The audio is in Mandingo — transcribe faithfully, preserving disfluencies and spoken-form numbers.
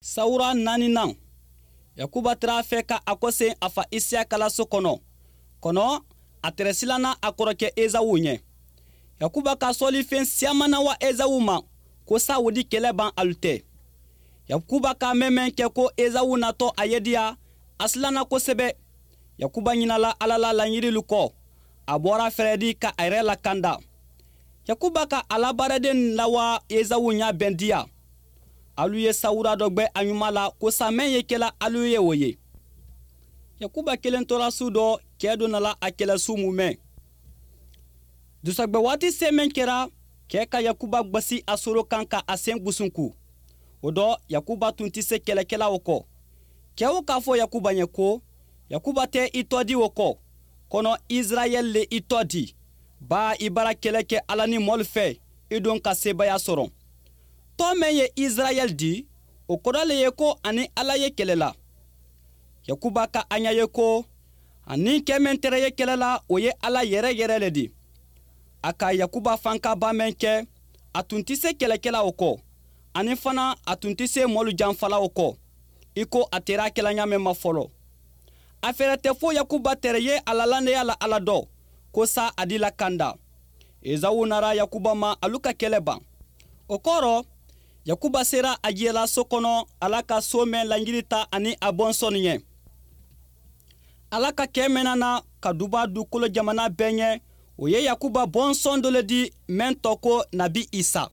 Sawura naaninan. Yakuba tara a fɛ ka a kosen a fa isiyaka la so kono. Kono a tere silana a korokɛ ezawu ɲɛ. Yakuba ka sɔɔlifen siyamana wa ezawu ma, ko sa wo di kɛlɛ ban alu tɛ. Yakuba ka mɛmɛn kɛ ko ezawu natɔ a yediya, a silana kosɛbɛ. Yakuba ɲinala ala la laɲirilu kɔ. A bɔra fɛrɛdi ka a yɛrɛ lakanda. Yakuba ka a la baaraden lawa ezawu ɲa bɛndiya. Alu ye sawura dɔ gbɛ a ɲuma la ko sa mɛn ye kɛla alu ye wo ye. Yakuba kelen tora su dɔ, kɛ dɔ nala a kɛlɛ su mumɛn. Dusɔgbɛ waati se mɛn kɛra, kɛ ka yakuba gbasi a soro kan ka a sen gusunku. O dɔ, yakuba tun ti se kɛlɛkɛla o kɔ. Kɛ o k'a fɔ yakuba ɲɛ ko, yakuba tɛ i tɔ di o kɔ, kɔnɔ izirayɛli le i tɔ di. Baa i bara kɛlɛ kɛ ala ni mɔlu fɛ, i don ka sebaya sɔrɔ. Tɔ mɛn ye izirayɛli di, o kɔrɔ le ye ko ani ala ye kɛlɛ la. Yakuba ka a ɲa ye ko, ani kɛ mɛn tɛrɛ ye kɛlɛ la, o ye ala yɛrɛ yɛrɛ le di. A ka yakuba fankaba mɛn kɛ, a tun ti se kɛlɛkɛla o kɔ, ani fana a tun ti se mɔlu janfala o kɔ, i ko a tera kɛla ɲa mɛn ma fɔlɔ. A fɛrɛ tɛ fo yakuba tɛrɛ ye a la landeya la ala dɔ, ko sa a di la kanda. Ezawu nara yakuba ma alu ka kɛlɛ ban. O kɔrɔ, yakuba sera a jiyɛla so kɔnɔ, ala ka so mɛn laɲiri ta ani a bɔnsɔni ɲɛ. Ala ka kɛ mɛnna na ka duba dukolo jamana bɛɛ ɲɛ, o ye yakuba bɔnsɔn dɔ le di, mɛn tɔ ko nabi isa.